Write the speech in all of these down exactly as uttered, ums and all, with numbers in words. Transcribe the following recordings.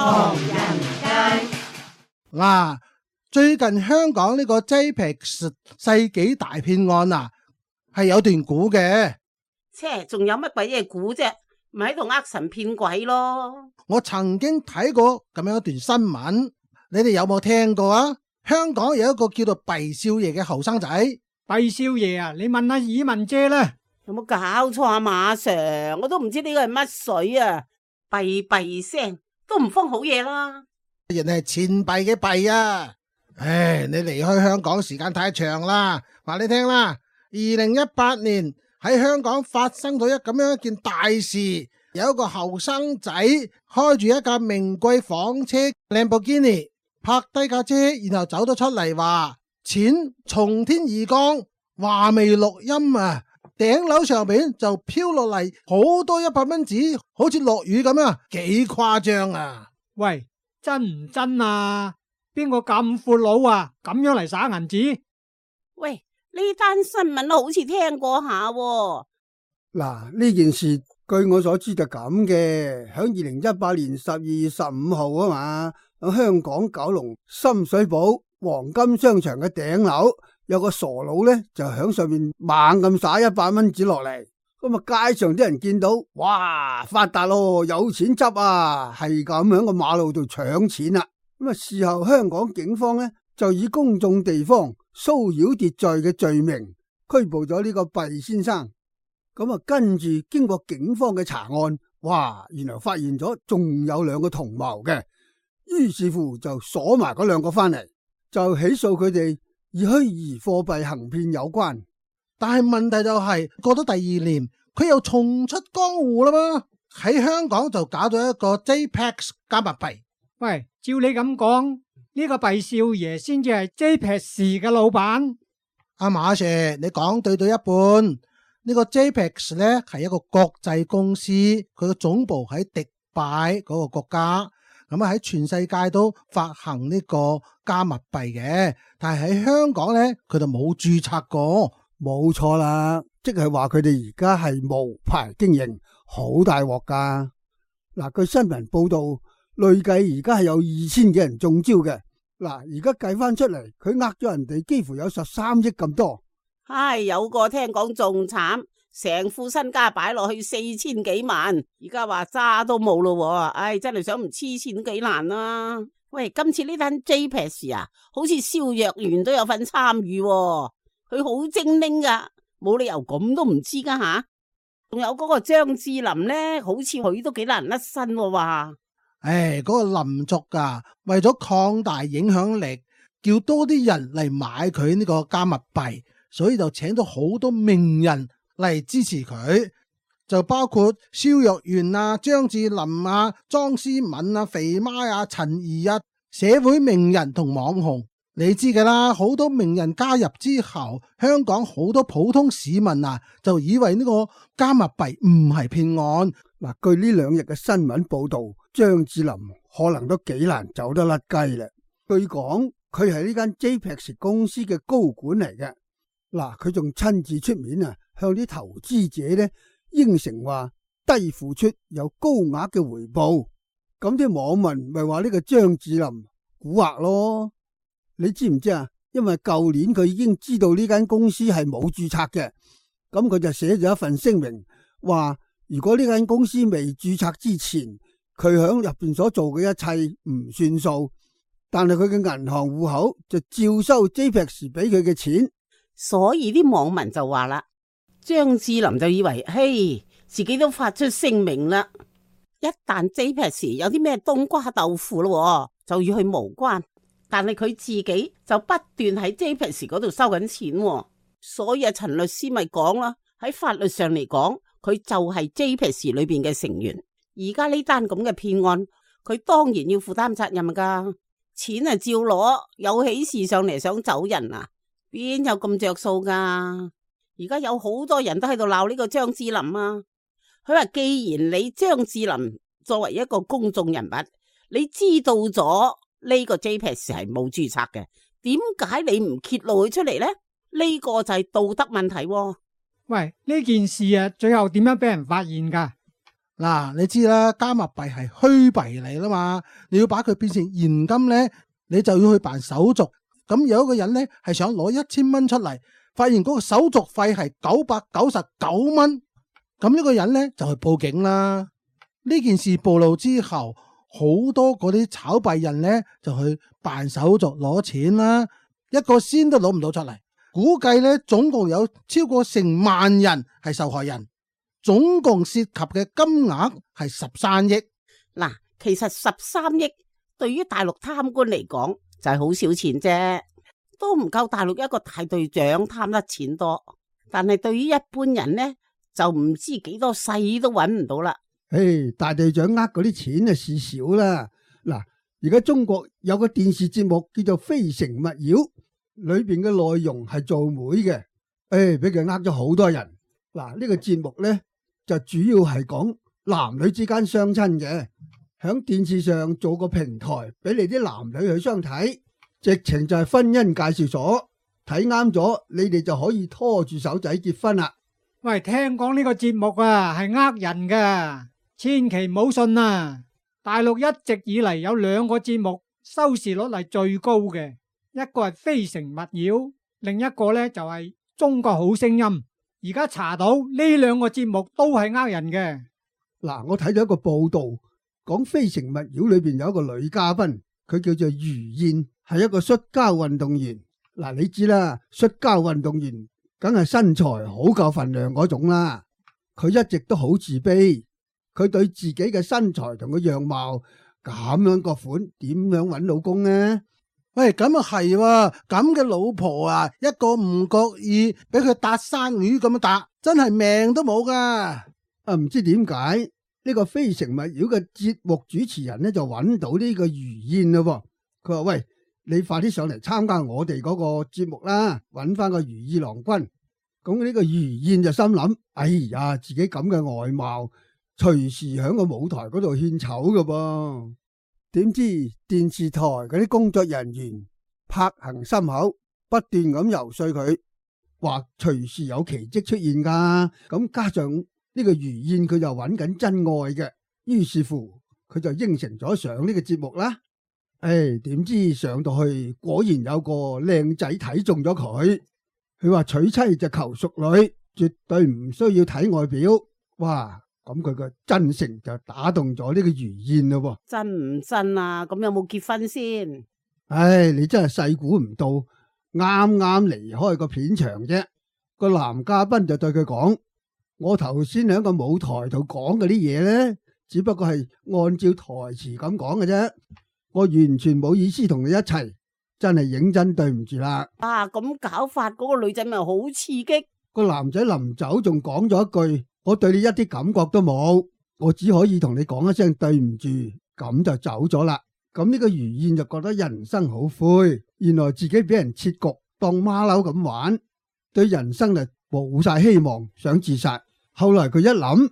唐人街。嗱，最近香港呢個 J P E X 世紀大騙案啊，係有段古嘅。切，仲有乜鬼嘢估啫？咪喺度呃神騙鬼咯！我曾經睇過咁樣一段新聞，你哋有冇聽過啊？香港有一個叫做畢少爺嘅後生仔。畢少爺啊，你問下爾文姐啦。有冇搞錯啊，馬 Sir？我都唔知呢個係乜水啊！閉閉聲都唔封好嘢啦。人係錢幣嘅幣啊！唉，你離開香港時間太長啦，話你聽啦。二零一八年喺香港發生咗一咁樣一件大事，有一個後生仔開住一架名貴房車蘭博基尼，泊低架車，然後走咗出嚟，話錢從天而降，話未錄音啊！頂樓上邊就飄落嚟好多一百蚊紙，好似落雨咁啊，幾誇張啊！喂，真唔真啊？邊個咁闊佬啊？咁樣嚟耍銀紙？喂，呢單新聞好似聽過下喎。嗱，呢件事據我所知就咁嘅，響二零一八年十二月十五號啊嘛，響香港九龍深水埗黃金商場嘅頂樓有個傻佬呢，就響上面猛咁撒一百蚊紙落嚟，咁啊街上啲人見到，哇，發達咯，有錢執啊，係咁響個馬路度搶錢啦。咁啊事後香港警方呢，就以公眾地方騷擾秩序嘅罪名拘捕咗呢個畢先生。咁啊，跟住經過警方嘅查案，哇，原來發現咗仲有兩個同謀嘅，於是乎就鎖埋嗰兩個翻嚟，就起訴佢哋以虛擬貨幣行騙有關。但係問題就係、是、過咗第二年，佢又重出江湖啦嘛，喺香港就搞咗一個 J P E X 加密幣。喂，照你咁講，呢個畢少爺先至係 J P E X 嘅老闆。阿馬 Sir，你講對對一半。呢個 J P E X 咧係一個國際公司，佢嘅總部喺迪拜嗰個國家，咁啊喺全世界都發行呢個加密幣嘅，但係喺香港咧佢就冇註冊過。冇錯啦，即係話佢哋而家係無牌經營，好大鑊噶。嗱，據新聞報道，累計而家係有二千幾人中招嘅。嗱，而家計翻出嚟，佢呃咗人哋幾乎有十三億咁多。唉，有個聽講仲慘，成副身家擺落去四千幾萬，而家話渣都冇咯。唉，真係想唔黐錢幾難啦。喂，今次呢單 J P E X 啊，好似蕭若元都有份參與，佢好精靈噶，冇理由咁都唔知噶吓。仲有嗰個張智霖呢，好似佢都幾難甩身話。唉，嗰、那個林族啊，為咗擴大影響力，叫多啲人嚟買佢呢個加密幣。所以就請咗好多名人嚟支持佢，就包括蕭若元啊、張智霖啊、莊思敏啊、肥媽啊、陳怡啊，社會名人同網紅，你知噶啦。好多名人加入之後，香港好多普通市民啊，就以為呢個加密幣唔係騙案。嗱，據呢兩日嘅新聞報道，張智霖可能都幾難走得甩雞啦。據講，佢係呢間 J P E X 公司嘅高管嚟嘅。嗱，佢仲親自出面啊，向啲投資者咧應承話低付出有高額嘅回報。咁啲網民咪話呢個張智霖蠱惑咯？你知唔知啊？因為舊年佢已經知道呢間公司係冇註冊嘅，咁佢就寫咗一份聲明，話如果呢間公司未註冊之前，佢響入邊所做嘅一切唔算數，但係佢嘅銀行戶口就照收 J P E X 俾佢嘅錢。所以啲網民就話啦，張智霖就以為，嘿，自己都發出聲明啦，一旦 J P E X 有啲咩冬瓜豆腐咯，就要去無關。但係佢自己就不斷喺 J P E X 嗰度收緊錢，所以啊，陳律師咪講啦，喺法律上嚟講，佢就係 J P E X 裏邊嘅成員。而家呢單咁嘅騙案，佢當然要負擔責任噶，錢啊照攞，有喜事上嚟想走人啊？邊有咁着數噶？而家有好多人都喺度鬧呢個張智霖啊！佢話既然你張智霖作為一個公眾人物，你知道咗呢個 J P E X 係冇註冊嘅，點解你唔揭露佢出嚟呢？呢個就係道德問題喎。喂，呢件事啊，最後點樣俾人發現噶？嗱，你知啦，加密幣係虛幣嚟啦嘛，你要把佢變成現金咧，你就要去辦手續。咁有一個人咧係想攞一千蚊出嚟，發現嗰個手續費係九百九十九蚊，咁呢個人咧就去報警啦。呢件事暴露之後，好多嗰啲炒幣人咧就去辦手續攞錢啦，一個仙都攞唔到出嚟。估計咧總共有超過成萬人係受害人，總共涉及嘅金額係十三億。嗱，其實十三億對於大陸貪官嚟講就係好少錢啫，都唔夠大陸一個大隊長貪得錢多。但係對於一般人呢，就唔知幾多世都揾唔到啦。誒，大隊長呃嗰啲錢啊事少啦。嗱，而家中國有個電視節目叫做《非誠勿擾》，裏邊嘅內容係做媒嘅，誒，俾佢呃咗好多人。嗱，呢個節目呢，就主要係講男女之間相親嘅，響電視上做個平台俾你啲男女去相睇，直情就係婚姻介紹所，睇啱咗你哋就可以拖住手仔結婚啦。喂，聽講呢個節目啊係呃人噶，千祈唔好信啊！大陸一直以嚟有兩個節目收視率係最高嘅，一個係《非誠勿擾》，另一個呢就係《中國好聲音》。而家查到呢兩個節目都係呃人嘅。嗱，我睇咗一個報道，講《非誠勿擾》裏邊有一個女嘉賓，佢叫做于燕，係一個摔跤運動員。嗱，你知啦，摔跤運動員梗係身材好夠份量嗰種啦。佢一直都好自卑，佢對自己嘅身材同個樣貌咁樣個款，點樣搵老公呢？喂，咁啊係喎，咁嘅老婆啊，一個唔覺意俾佢搭生魚咁樣搭，真係命都冇噶。啊，唔知點解呢個非誠勿擾嘅節目主持人呢就揾到呢個于燕咯。佢話：喂，你快啲上嚟參加我哋嗰個節目啦，揾翻個如意郎君。咁呢個于燕就心諗：哎呀，自己咁嘅外貌，隨時響個舞台嗰度獻醜噶噃。點知電視台嗰啲工作人員拍行心口，不斷咁游說佢，話隨時有奇蹟出現噶。咁加上呢個于燕佢就揾緊真愛嘅，於是乎佢就應承咗上呢個節目啦。誒，點知上到去果然有個靚仔睇中咗佢，佢話娶妻就求淑女，絕對唔需要睇外表。哇！咁佢個真誠就打動咗呢個于燕咯。真唔真啊？咁有冇結婚先？唉，你真係細估唔到，啱啱離開個片場啫，個男嘉賓就對佢講：我頭先喺個舞台度講嗰啲嘢咧，只不過係按照台詞咁講嘅啫，我完全冇意思同你一齊，真係認真對唔住啦。啊，咁搞法嗰個女仔咪好刺激。個男仔臨走仲講咗一句：我對你一啲感覺都冇，我只可以同你講一聲對唔住，咁就走咗啦。咁呢個于燕就覺得人生好灰，原來自己俾人設局當馬騮咁玩，對人生就冇晒希望，想自殺。後來佢一諗，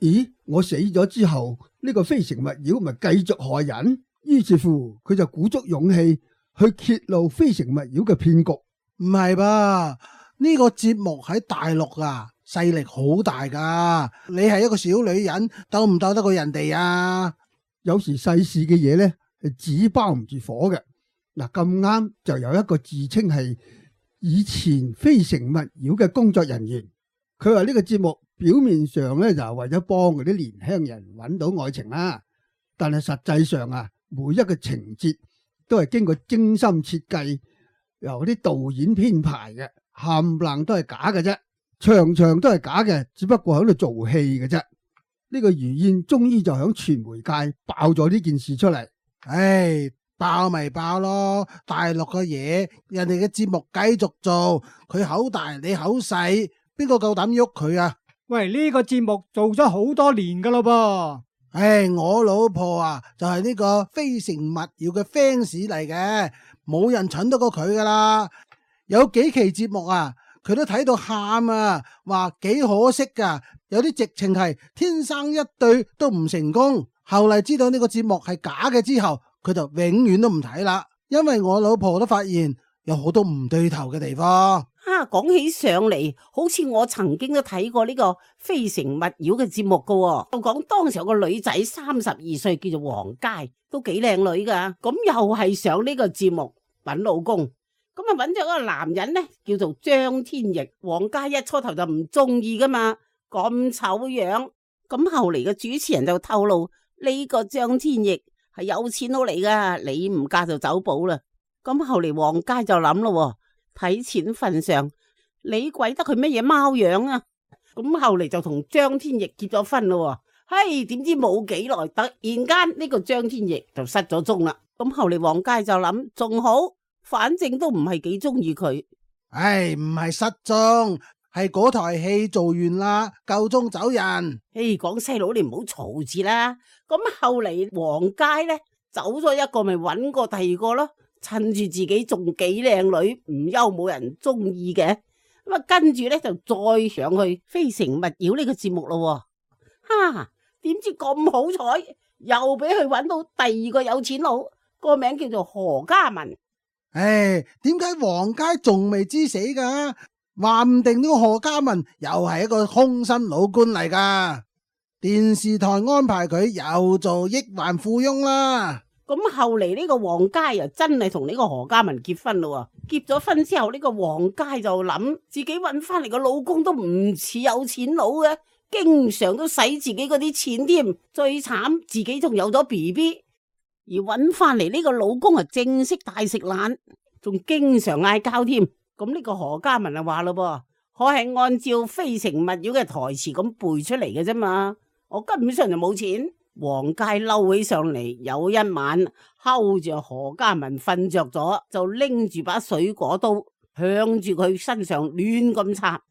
咦，我死咗之後呢個非誠勿擾咪繼續害人，於是乎佢就鼓足勇氣去揭露非誠勿擾嘅騙局。唔係吧？呢個節目喺大陸啊，勢力好大噶。你係一個小女人，鬥唔鬥得過人哋啊？有時世事嘅嘢呢，係紙包唔住火嘅。嗱，咁啱就有一個自稱係以前非誠勿擾嘅工作人員，佢話呢個節目表面上呢，就係為咗幫嗰啲年輕人揾到愛情啦，但係實際上啊，每一個情節都係經過精心設計，由啲導演編排嘅。冚唪唥都係假嘅啫，場場都係假嘅，只不過喺度做戲嘅啫。呢個于燕終於就響傳媒界爆咗呢件事出嚟。唉，爆咪爆咯，大陸嘅嘢，人哋嘅節目繼續做，佢口大你口細，邊個夠膽喐佢啊？喂，呢個節目做咗好多年噶咯噃。唉，我老婆啊，就係呢個非誠勿擾嘅 fans 嚟嘅，冇人蠢得過佢噶啦。有幾期節目啊，佢都睇到喊啊，話幾可惜噶，有啲直情係天生一對都唔成功。後嚟知道呢個節目係假嘅之後，佢就永遠都唔睇啦，因為我老婆都發現有好多唔對頭嘅地方。啊，講起上嚟，好似我曾經都睇過呢個《非誠勿擾》嘅節目噶，就講當時有個女仔三十二歲，叫做黃佳，都幾靚女噶。咁又係上呢個節目揾老公，咁啊揾咗個男人呢，叫做張天翼。黃佳一初頭就唔中意噶嘛，咁醜樣。咁後嚟嘅主持人就透露呢個張天翼係有錢佬嚟噶，你唔嫁就走寶啦。咁後嚟黃佳就諗咯，睇錢份上，你鬼得佢乜嘢貓樣啊？咁後嚟就同張天翼結咗婚咯。嘿，點知冇幾耐，突然間呢個張天翼就失咗蹤啦。咁後嚟黃佳就諗，仲好，反正都唔係幾中意佢。唉，唔係失蹤，係嗰台戲做完啦，夠鐘走人。嘿，講細佬你唔好嘈住啦。咁後嚟黃佳呢走咗一個，咪揾過第二個咯。趁住自己仲幾靚女，唔憂冇人中意嘅，咁啊跟住咧就再上去《非誠勿擾》呢個節目咯。哈，點知咁好彩，又俾佢揾到第二個有錢佬，個名叫做何嘉文。唉，點解黃佳仲未知死噶？話唔定呢個何嘉文又係一個空心老官嚟噶，電視台安排佢又做億萬富翁啦。咁後嚟呢個黃佳又真係同呢個何嘉文結婚咯。結咗婚之後，呢個黃佳就諗自己搵翻嚟個老公都唔似有錢佬嘅，經常都使自己嗰啲錢添。最慘自己仲有咗 B B， 而搵翻嚟呢個老公啊正式大食懶，仲經常嗌交添。咁呢個何嘉文就話咯噃，我係按照《非誠勿擾》嘅台詞咁背出嚟嘅啫嘛，我根本上就冇錢。黃佳嬲起上嚟，有一晚睺住何嘉文瞓着咗，就拎住把水果刀向住佢身上亂咁插。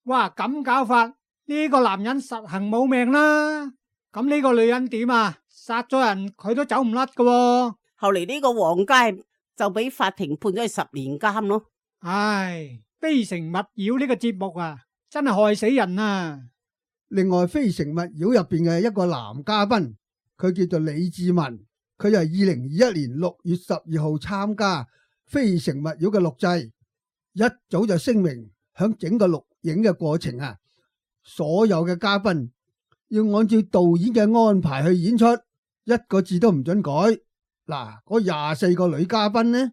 哇，咁搞法，呢個男人實行冇命啦。咁呢個女人點啊？殺咗人佢都走唔甩噶。後嚟呢個黃佳就俾法庭判咗去十年監咯。唉，非誠勿擾呢個節目啊，真係害死人啊！另外，《非誠勿擾》入邊嘅一個男嘉賓，佢叫做李志文，佢係二零二一年六月十二號參加《非誠勿擾》嘅錄製，一早就聲明響整個錄影嘅過程啊，所有嘅嘉賓要按照導演嘅安排去演出，一個字都唔准改。嗱，嗰廿四個女嘉賓呢，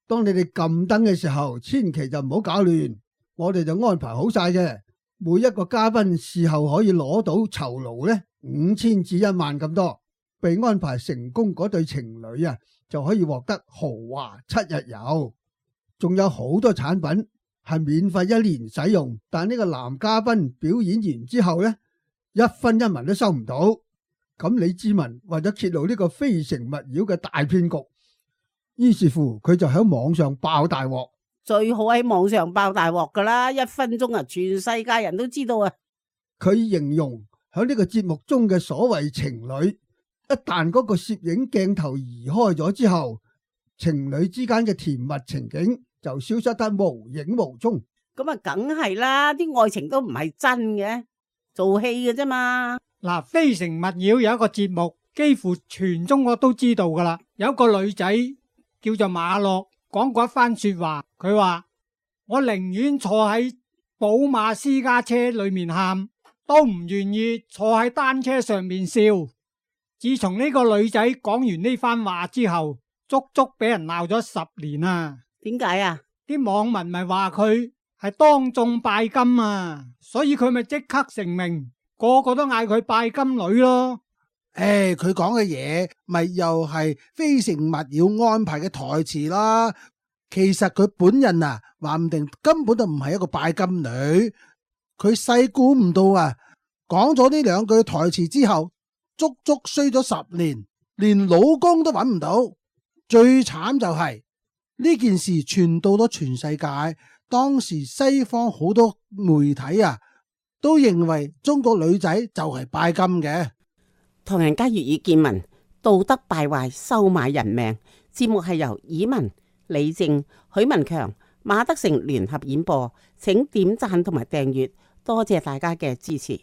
當你哋撳燈嘅時候，千祈就唔好搞亂，我哋就安排好晒嘅。每一個嘉賓事後可以攞到酬勞呢五千至一萬咁多，被安排成功嗰對情侶啊就可以獲得豪華七日遊，仲有好多產品係免費一年使用。但呢個男嘉賓表演完之後呢，一分一文都收唔到。咁李志文為咗揭露呢個非誠勿擾嘅大騙局，於是乎佢就喺網上爆大鑊。最好喺網上爆大鑊噶啦，一分鐘啊，全世界人都知道啊！佢形容喺呢個節目中嘅所謂情侶，一旦嗰個攝影鏡頭移開咗之後，情侶之間嘅甜蜜情景就消失得無影無蹤。咁啊，梗係啦，啲愛情都唔係真嘅，做戲嘅啫嘛。嗱，《非誠勿擾》有一個節目，幾乎全中國都知道噶啦。有一個女仔叫做馬樂，講過一番說話，佢話我寧願坐喺寶馬私家車裏面喊，都唔願意坐喺單車上面笑。自從呢個女仔講完呢番話之後，足足俾人鬧咗十年啊！點解啊？啲網民咪話佢係當眾拜金啊，所以佢咪即刻成名，個個都嗌佢拜金女咯。誒，佢講嘅嘢咪又係非誠勿擾安排嘅台詞啦。其實佢本人啊，話唔定根本就唔係一個拜金女。佢細估唔到啊，講咗呢兩句台詞之後，足足衰咗十年，連老公都揾唔到。最慘就係呢件事傳到咗全世界，當時西方好多媒體啊，都認為中國女仔就係拜金嘅。唐人街粵語見聞，道德敗壞，收買人命。節目係由以文、李正、許文強、馬德成聯合演播，請點讚同埋訂閱，多謝大家嘅支持。